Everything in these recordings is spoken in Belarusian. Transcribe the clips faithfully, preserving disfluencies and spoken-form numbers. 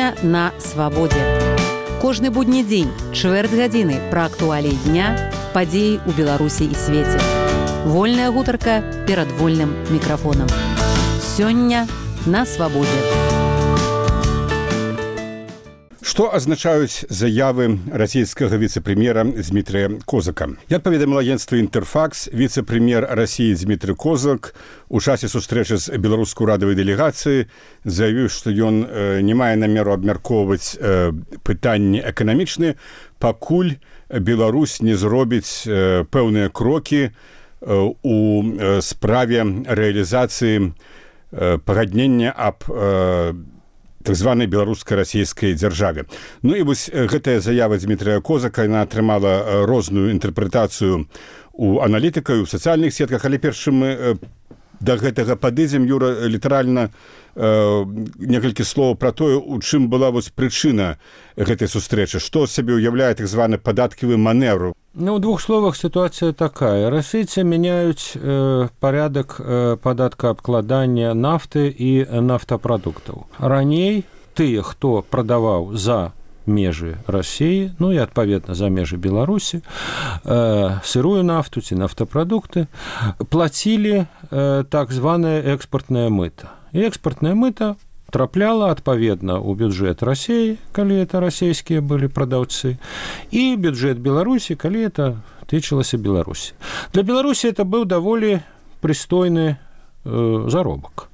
Сёння на свабодзе. Кожны будні дзень, чвэрць гадзіны пра актуаліі дня, падзеі ў Беларусі і свеце. Вольная гутарка перад вольным мікрафонам. Сёння на свабодзе. Што азначаюць заявы расійскага віцэ-прэм'ера Дмітрыя Козака? Як паведаміла агенцтва «Інтэрфакс», віцэ-прэм'ер Расіі Дмітрый Козак у часе сустрэчы з беларускай урадавай дэлегацыі заявіў, што ён не мае намеру абмяркоўваць пытанні эканамічныя, пакуль Беларусь не зробіць пэўныя крокі у справе рэалізацыі пагаднення аб так званай беларуска-расійскай дзяржаве. Ну і вось гэтая заява Дмітрыя Козака, яна атрымала розную інтэрпрэтацыю у аналітыкаў, у сацыяльных сетках, але першым мы да гэтага падыдзем, Юра, літаральна э, некалькі слоў пра тое, у чым была вось прычына гэтай сустрэчы. Што сабе ўяўляе так званы падаткавы маневр? Ну, в двух словах ситуация такая. Российцы меняют э, порядок э, податкообкладания нафты и нафтопродуктов. Раней тыя, хто прадаваў за межы России, ну и, адпаведна, за межы Беларуси, э, сырую нафту, ці нафтопродукты, платили э, так званое экспортное мыто. И экспортное мыто трапляла, адпаведна, у бюджет России, калі это расійскія былі прадаўцы, і бюджет Беларусі, калі это тычылася Беларусі. Для Беларусі это быў даволі прыстойны э, заробак.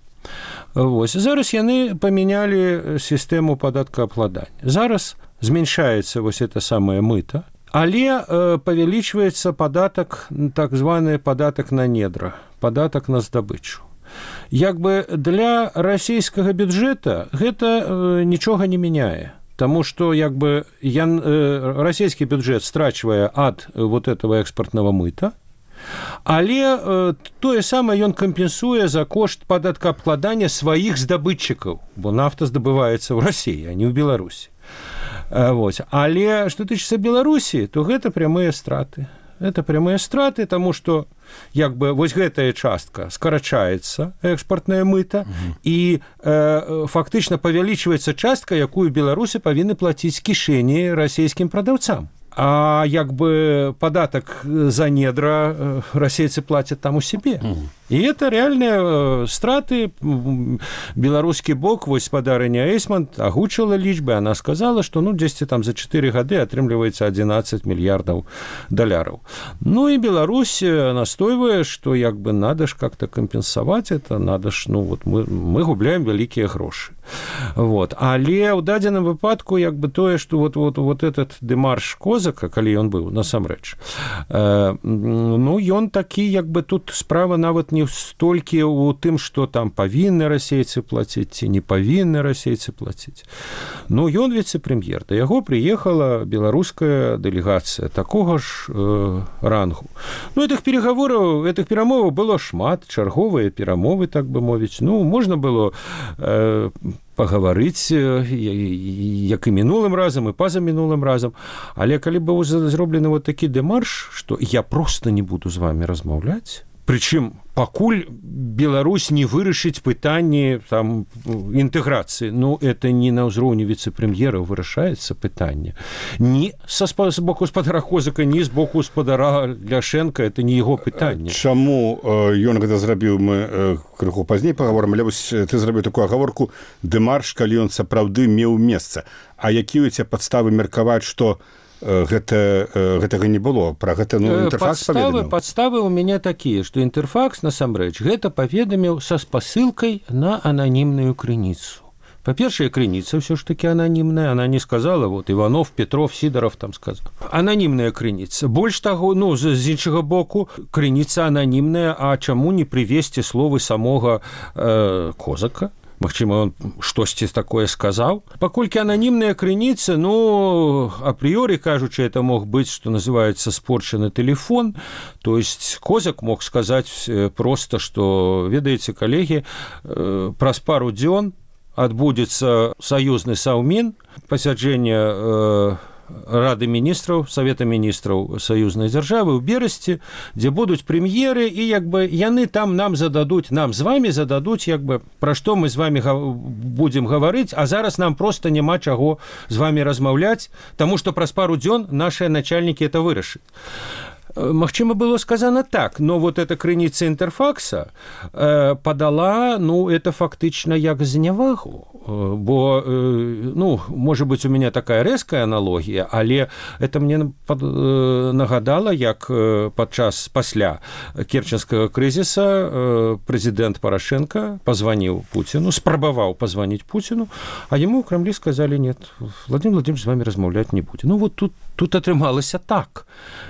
Вось. Зараз яны памянялі сістэму падаткаабкладання. Зараз зменшаецца вось это самае мыта, але э, павялічваецца падатак, так званы падатак на недра, падатак на здабычу. Як бы для расійскага бюджэта гэта э, нічога не мяняе, таму што як бы ян, э, расійскі бюджэт страчвае ад э, вот этого экспартнага мыта, але э, тое самае ён кампенсуе за кошт падаткаабкладання сваіх здабытчыкаў, бо нафта здабываецца ў Расіі, а не ў Беларусі. Э, вот. Але што тычыцца Беларусі, то гэта прямыя страты. Это прямыя страты, таму што як бы вось гэтая частка скарачаецца, экспартнае мыта, угу. і э, фактычна павялічваецца частка, якую беларусы павінны плаціць з кішэні расійскім прадаўцам. А як бы падатак за недра расейцы плацяць там у себе. Угу. І это реальныя страты. Беларускі бок, вось спадарыня Эйсман агучыла лічбы, она сказала, што ну дзесьці там за чатыры гады атрымліваецца адзінаццаць мільярдаў даляраў. Ну і Беларусь настойвае, што як бы надо ж как-то кампенсаваць это, надо ж, ну вот мы, мы губляем вялікія грошы. Вот. Але ў дадзеным выпадку як бы тое, што вот, вот, вот этот дэмарш Козака, калі ён быў насамрэч, э, ну ён такі, як бы тут справа нават не столькі ў тым, што там павінны расейцы плаціць ці не павінны расейцы плаціць. Ну ён віцэ-прэм'ер, да яго прыехала беларуская дэлегацыя такога ж э, рангу. Ну этих переговораў, этих перамоваў было шмат, чарговыя перамовы, так бы мовіць. Ну можна было э, пагаварыць як і мінулым разам і паза мінулым разам, але калі быў зроблены вот такі дэмарш, што я просто не буду з вами размаўляць, прычым пакуль Беларусь не вырашыць пытанні там інтэграцыі, ну это не на ўзроўні віцэ-прэм'ера вырашаецца пытанне. Ні са з боку спадара Козака, ні з боку спадара Ляшэнка, это не яго пытанне. Чаму ён гэта зрабіў, мы крыху пазней пагаворым, але вось ты зрабіў такую агаворку дэмарш, калі ён сапраўды меў месца. А якія у цябе падставы меркаваць, што Гэта, гэтага не было, пра гэта ну, Інтэрфакс паведаміў? Падставы ў мяне такія, што Інтэрфакс насамрэч гэта паведаміў са спасылкай на ананімную крыніцу. Па-першае, крыніца ўсё ж такі ананімная, она не сказала, вот Иванов, Петров, Сидоров там сказал. Ананімная крыніца. Больш таго, ну, з іншага боку, крыніца ананімная, а чаму не прывесці словы самога э, Козака? Магчыма, он штосьці такое сказаў. Паколькі ананімная крыніца, ну, апрыёры кажучы, это мог быць, што называецца спорчаны тэлефон. То есть Козак мог сказаць проста, што, ведаеце, калегі, праз пару дзён адбудзецца саюзны саўмін, пасяджэнне Рады міністраў, Савета міністраў саюзнай дзяржавы ў Берасці, дзе будуць прэм'еры, і як бы яны там нам зададуць, нам з вами зададуць, як бы, пра што мы з вами будзем гаварыць, а зараз нам проста няма чаго з вами размаўляць, таму што праз пару дзён нашыя начальнікі это вырашаць. Магчыма, было сказано так, но вот эта крыніца Інтэрфакса э, падала, ну, это фактычна як знявагу, э, бо, э, ну, можа быць, у меня такая рэзкая аналогія, але это мне пад, э, нагадала, як э, падчас пасля керченскага крызіса э, прэзідэнт Парашенко пазваніў Пуціну, спрабаваў пазваніць Пуціну, а яму ў Крамлі сказалі: нет, Владимир Владимирович з вами размаўляць не будзе. Ну, вот тут, тут атрымалася так.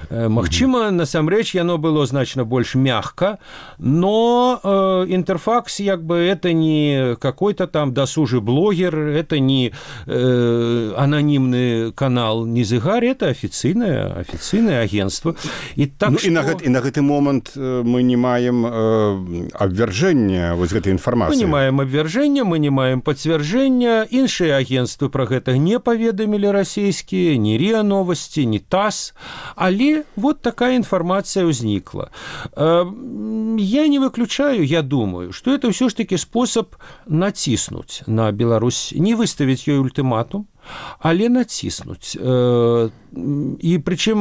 Э, магчыма, насамрэч яно было значна больш мягка, но э, Интерфакс, як бы, это не какой-то там досужий блогер, это не э, анонимный канал Низыгар, это официальное, официальное агентство. И, так ну, что... и, на гэт, и на гэты момент мы не маем э, абвяржэння вот гэтай інфармацыі. Мы не маем абвяржэння, мы не маем пацвярджэння. Іншыя агентствы пра гэта не паведамілі расійскія, ні РИА Новости, ні ТАСС, але вот так такая информация возникла. Я не выключаю, я думаю, что это все ж таки способ натиснуть на Беларусь, не выставить ей ультиматум, але націснуць. І прычым,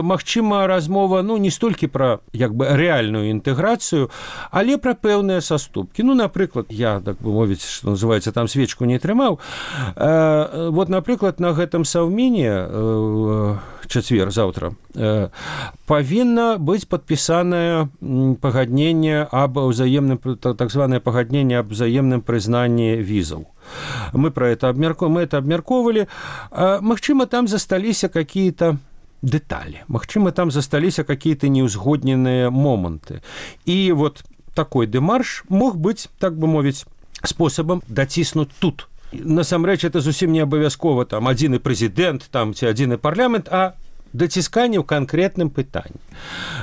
магчыма, размова, ну, не столькі пра, як бы, рэальную інтэграцыю, але пра пэўныя саступкі. Ну, напрыклад, я, так бы мовіць, што называецца, там свечку не трымаў. Вот, напрыклад, на гэтым саўмене чацвер, заўтра, павінна быць падпісанае пагадненне аб узаемным, так званае пагадненне аб узаемным прызнанні візаў. Мы про это обмерковали, мы это обмерковывали. Магчыма, там засталіся какие-то детали, магчыма, там засталіся какие-то неузгодненные моменты. И вот такой дэмарш мог быть, так бы мовіць, способом доціснуть тут. Насамрэч, это зусім не абавязкова там адзіны прэзідэнт, там ці адзіны парламент, а доцісканне ў канкрэтным пытанні.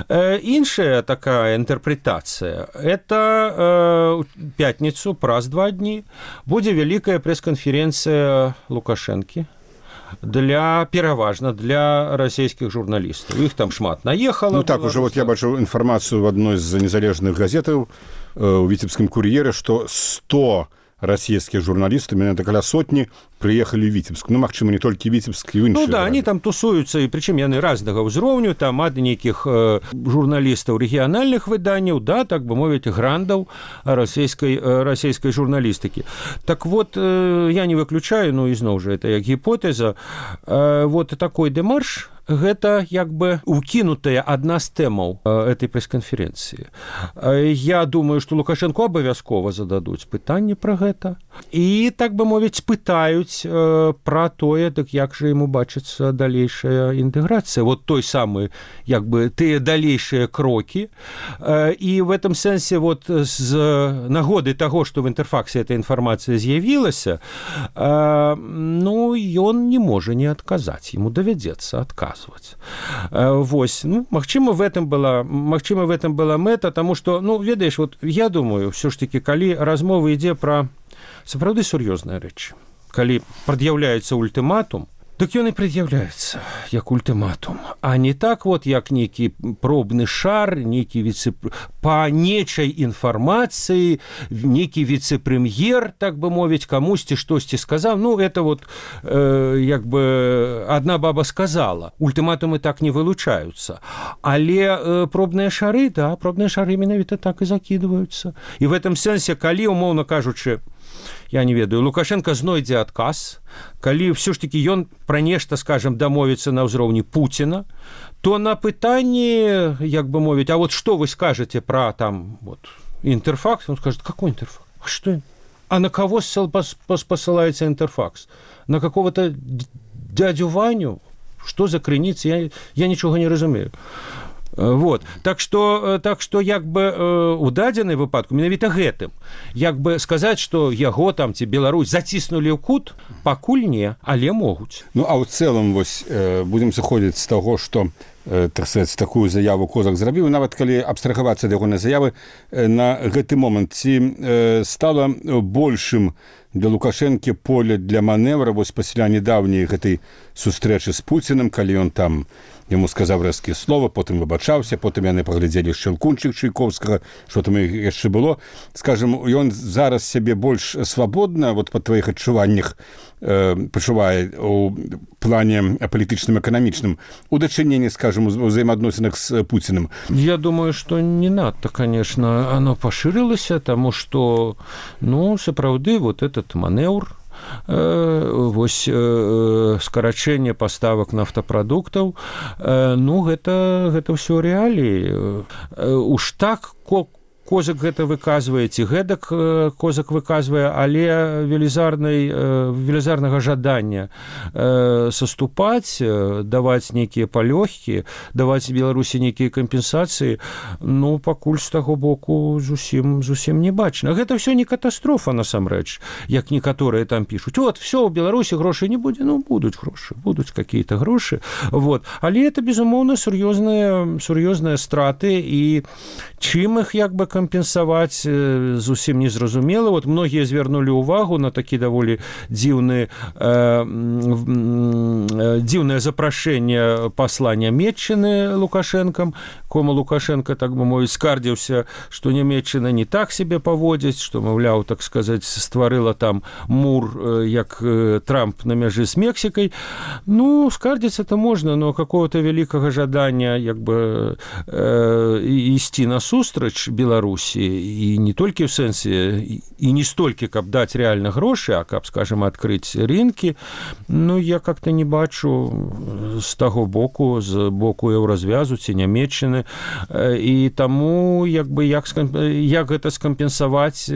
Э, іншая такая інтэрпрэтацыя, это э, пятніцу, праз два дні, будзе вялікая прэс-канферэнцыя Лукашэнкі для, пераважна, для расійскіх журналістаў. Іх там шмат наехала. Ну так, уже вот я бачу інфармацыю в адной з незалежных газетаў э, у Віцебскім кур'еры, што сто российские журналисты, меня это каля сотни, приехали в Витебск. Ну, магчыма, не толькі Витебск, и іншыя. Ну да, они там тусуются, и причем яны разнага ўзроўню, там ад нейкіх э, журналістаў рэгіянальных выданняў, да, так бы мовіць, грандаў расійскай, э, расійскай журналістыкі. Так вот, э, я не выключаю, ну, ізноў жа, это як гіпотэза, э, вот такой дэмарш, гэта як бы укінутая адна з тэмаў этой прэс-канферэнцыі. Я думаю, што Лукашэнку абавязкова зададуць пытанне пра гэта. І, так бы мовіць, пытаюць пра тое, так як жа яму бачыцца далейшая інтэграцыя. Вот той самы, як бы, тыя далейшыя крокі. І в этом сэнсе, вот, з нагоды таго, што в Інтэрфаксе эта інфармацыя з'явілася, ну, ён не можа не адказаць. Яму давядзецца адказваць. Вось, ну, магчыма, в этом была, магчыма, в этом была мэта, таму што, ну, ведаеш, вот я думаю, ўсё ж таки, калі размова ідзе пра сапраўды сур'ёзныя рэчы, калі прад'яўляецца ультыматум, так ён і прад'яўляецца як ультыматум, а не так вот, як нейкі пробны шар, нейкі віце... па нечай інфармацыі, нейкі віцэ-прэм'ер, так бы мовіць, камусьці штосьці сказаў. Ну, это вот, э, як бы, адна баба сказала. Ультыматумы так не вылучаюцца. Але э, пробныя шары, да, пробныя шары менавіта так і закідваюцца. І в этом сэнсе, калі, умоўна кажучы, я не ведаю, Лукашенко знойдзе адказ, калі ўсё ж таки ён пра нешта, скажем, дамовіцца на ўзроўні Пуціна, то на пытанні, як бы мовіць, а вот што вы скажете пра там вот Интерфакс, он скажет, какой Интерфакс? А что? А на кого посылается Интерфакс? На какого-то дядю Ваню? Что за крыніца? Я, я нічога не разумею. Вот. Так што так што як бы у дадзенай выпадку менавіта гэтым як бы сказаць, што яго там ці Беларусь заціснулі ў кут, пакуль не, але могуць. Ну а ў цэлым вось будзем сыходзіць з таго, што так сказаць, такую заяву Козак зрабіў, нават калі абстрагавацца ад ягонай заявы, на гэты момант ці стала большым для Лукашэнкі поле для маневра вось пасля нядаўняй гэтай сустрэчы з Пуцінам, калі ён там яму сказаў рэзкія слова, потым выбачаўся, потым яны паглядзелі Шчэлкунчык Чайковскага, што там яшчэ было. Скажам, ён зараз сябе больш свабодна, вот па тваіх адчуваннях э, пачувае у плане палітычным, эканамічным, у дачыненні, скажам, у взаемаадносінах з Пуцінам? Я думаю, што не надта, конечно, оно пашырылася, таму што, ну, сапраўды, вот этот манеўр, вось скарачэнне паставак нафтапрадуктаў, ну гэта гэта ўсё рэаліі. Уж так Козак гэта выказвае, ці гэтак Козак выказвае, але велізарнай велізарнага жадання саступаць, даваць нейкія палёгкі, даваць Беларусі нейкія кампенсацыі, ну пакуль з таго боку зусім зусім не бачна. Гэта ўсё не катастрофа насамрэч, як некаторыя там пішуць. Вот всё, у Беларусі грошай не будзе, ну будуць грошы, будуць какие-то грошы. Вот. Але это безумоўна сур'ёзныя сур'ёзныя страты, і чым іх як бы кампенсаваць зусім незразумела. Вот многія звярнулі ўвагу на такі даволі дзіўны э, дзіўнае запрашэнне пасла Нямецчыны Лукашэнкам, кому Лукашенко, так бы мовіць, скардзіўся, што Нямецчына не так себе паводзіць, што, маўляў, так сказаць, стварыла там мур, як Трамп на мяжы з Мексікай. Ну, скардзіцца-то можна, но какого-то великага жадання як бы э, ісці насустрач Беларусі, і не толькі ў сэнсе, і не столькі, каб даць рэальна грошы, а каб, скажем, адкрыць рынкі, ну, я как-то не бачу з таго боку, з боку еўразвязу ці Нямецчыны, і таму, як бы, як, як гэта скампенсаваць,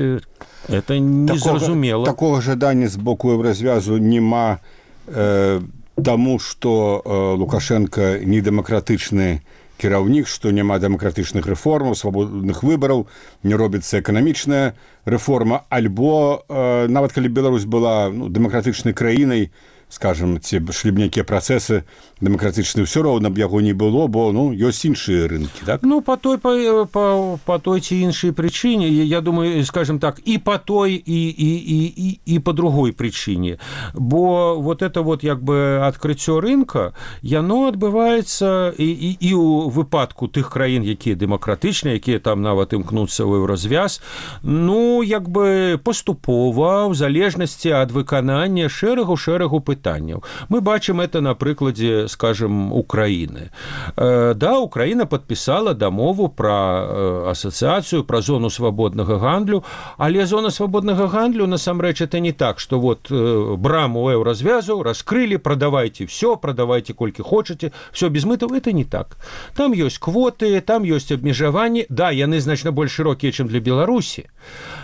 это незразумела. Такого, такого жадання з боку еўразвязу няма, э, таму, што э, Лукашенко недэмакратычны кіраўнік, што няма дэмакратычных рэформаў, свабодных выбараў, не робіцца эканамічная рэформа, альбо э, нават калі Беларусь была ну, дэмакратычнай краінай, скажем, ці шлі б нейкія працэсы дэмакратычныя, ўсё роўна б яго не было, бо ну, ёсць іншыя рынкі, так? Ну, по той, по, по, по той ці іншай прычыне, я думаю, скажем так, і по той, і, і, і, і, і по другой прычыне. Бо вот это вот, як бы, адкрыццё рынка, яно адбываецца і, і, і ў выпадку тых краін, якія дэмакратычныя, якія там нават імкнуцца ў еўразвяз, ну, як бы, паступова, ў залежнасці ад выканання шэрагу-шэрагу пытанняў. Мы бачым это на прыкладзе, скажем, Украины. Да, Украина подписала дамову про ассоциацию, про зону свободного гандлю, але зона свободного гандлю, насамрэч, это не так, что вот браму еўразвязу раскрыли, продавайте все, продавайте колькі хочете, все без мытов, это не так. Там есть квоты, там есть обмежаванні, да, яны значна больш широкие, чем для Беларуси,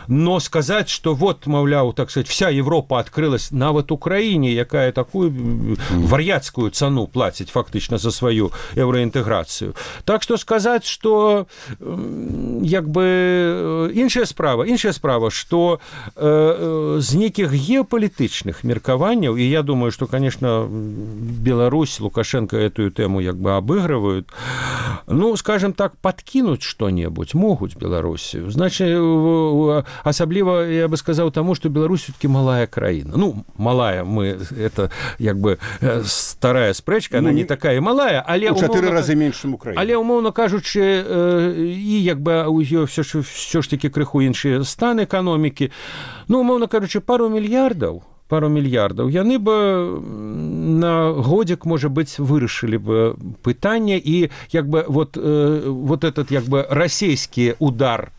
но сказать, что вот, маўляў, так сказать, вся Европа открылась нават Украине, якая такую вар'яцкую цану платить фактично за свою евроинтеграцию. Так что сказать, что як бы іншая справа, іншая справа, что э, з нейкіх геополитычных меркаванняў, и я думаю, что, конечно, Беларусь, Лукашенко эту тему як бы обыгрывают, ну, скажем так, подкинуть что-нибудь могут Беларусі. Значит, особливо, я бы сказал, тому, что Беларусь все-таки малая краина. Ну, малая, мы, это як бы старая спрэчка, она ну, не такая малая, але у чатыры разы менш, чым Украіна. Але умоўна кажучы, і як бы у ёй все ж, все ж таки крыху іншыя стан эканомікі. Ну, умоўна кажучы, пару мільярдаў, пару мільярдаў, яны бы на годзік, можа быць, вырашылі бы пытанне, і як бы вот, вот этот як бы расійскі удар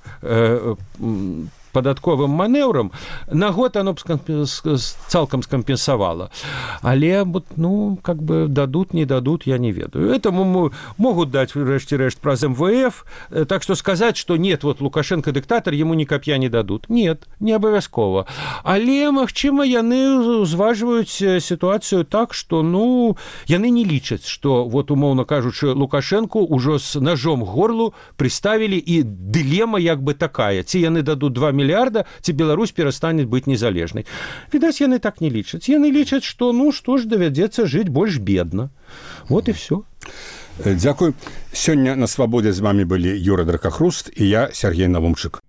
падатковым манеўрам, на год оно б цалкам скампенсавала. Але, ну, как бы дадут, не дадут, я не ведаю. Этому могут дать, врешті-решт, праз эм вэ эф, так что сказать, что нет, вот Лукашенко диктатор, ему ни копья не дадут. Нет, не обовязково. Але, магчыма, яны узважваюць ситуацию так, что, ну, яны не лічаць, что, вот, умоўно кажучы, Лукашенко уже с ножом к горлу приставили, и дилемма як бы такая. Ці яны дадут два миллиарда, ці Беларусь перастанет быть незалежнай. Відаць, яны так не лічаць. Яны лічаць, что, ну, что ж, давядзецца жыць больш бедна. Вот и все. Дзякуй. Сёння на свабодзе з вами былі Юра Дракахруст і я, Сергей Навумчык.